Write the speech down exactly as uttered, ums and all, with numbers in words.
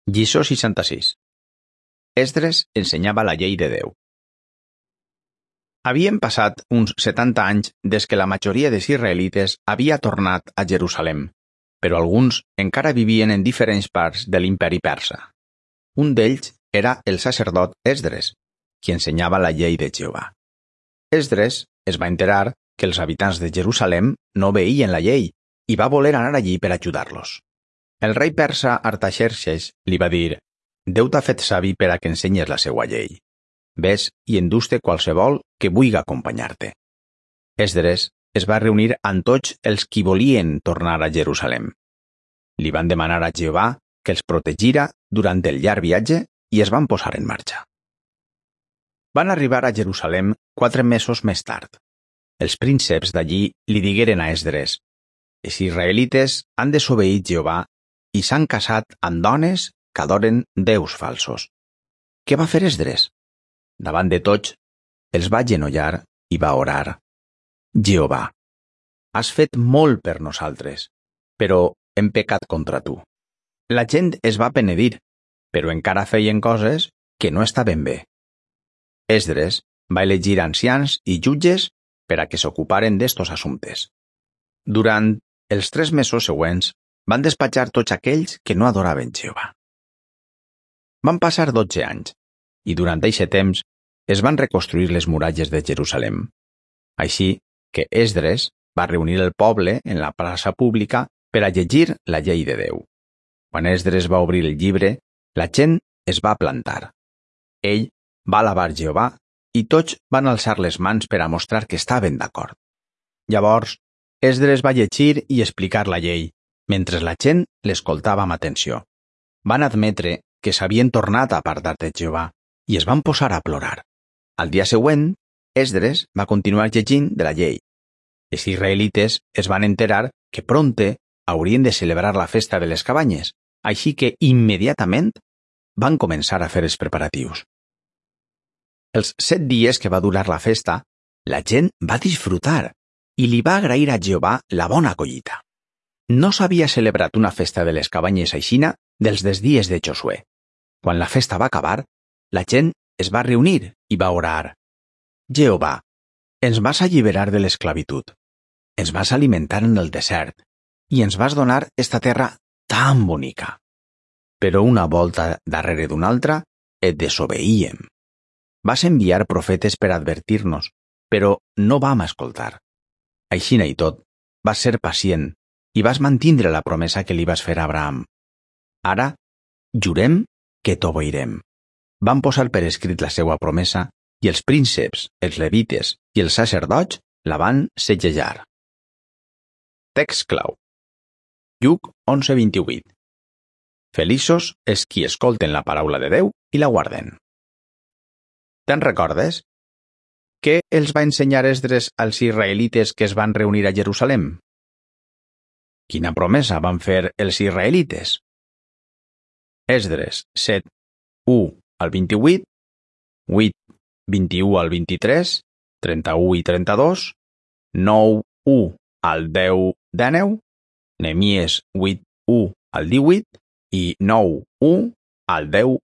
Lliçó seixanta-sis. Esdres ensenyava la llei de Déu. Havien passat uns setanta anys des que la majoria dels israelites havia tornat a Jerusalem, però alguns encara vivien en diferents parts de l'imperi persa. Un d'ells era el sacerdot Esdres, qui ensenyava la llei de Jehovà. Esdres es va enterar que els habitants de Jerusalem no veien la llei i va voler anar allí per ajudar-los. El rei persa Artaxerxes li va dir: «Déu t'ha fet savi per a que ensenyes la seua llei. Ves i endús-te qualsevol que vulgui acompanyar-te». Esdres es va reunir amb tots els qui volien tornar a Jerusalem. Li van demanar a Jehovà que els protegira durant el llarg viatge i es van posar en marxa. Van arribar a Jerusalem quatre mesos més tard. Els prínceps d'allí li digueren a Esdres: «Els israelites han desobeït Jehovà i s'han casat amb dones que adoren déus falsos». Què va fer Esdres? Davant de tots, els va agenollar i va orar: «Jehovà, has fet molt per nosaltres, però hem pecat contra tu». La gent es va penedir, però encara feien coses que no estaven bé. Esdres va elegir ancians i jutges per a que s'ocuparen d'estos assumptes. Durant els tres mesos següents van despatxar tots aquells que no adoraven Jehovà. Van passar dotze anys, i durant aquest temps es van reconstruir les muralles de Jerusalem. Així que Esdres va reunir el poble en la plaça pública per a llegir la llei de Déu. Quan Esdres va obrir el llibre, la gent es va plantar. Ell va alabar Jehovà i tots van alçar les mans per a mostrar que estaven d'acord. Llavors, Esdres va llegir i explicar la llei, mentre la gent l'escoltava amb atenció. Van admetre que s'havien tornat a apartar de Jehovà i es van posar a plorar. Al dia següent, Esdres va continuar llegint de la llei. Els israelites es van enterar que prompte haurien de celebrar la festa de les cabanyes, així que immediatament van començar a fer els preparatius. Els set dies que va durar la festa, la gent va disfrutar i li va agrair a Jehovà la bona collita. No s'havia celebrat una festa de les cabanyes aixina dels des dies de Josué. Quan la festa va acabar, la gent es va reunir i va orar: «Jehovà, ens vas alliberar de l'esclavitud, ens vas alimentar en el desert i ens vas donar esta terra tan bonica. Però una volta darrere d'una altra et desobeíem. Vas enviar profetes per advertir-nos, però no vam escoltar. Aixina i tot, vas ser pacient i vas mantindre la promesa que li vas fer a Abraham. Ara, jurem que t'obeirem». Van posar per escrit la seva promesa i els prínceps, els levites i els sacerdots la van segellar. Text clau. Lluc onze vint-i-vuit. Feliços els qui escolten la paraula de Déu i la guarden. Te'n recordes? Què els va ensenyar Esdres als israelites que es van reunir a Jerusalem? Quina promesa van fer els israelites? Esdres set, u al vint-i-vuit, vuit, vint-i-u al vint-i-tres, trenta-u i trenta-dos, nou, u al deu, dinou, Neemies vuit, u al divuit i nou, u al deu,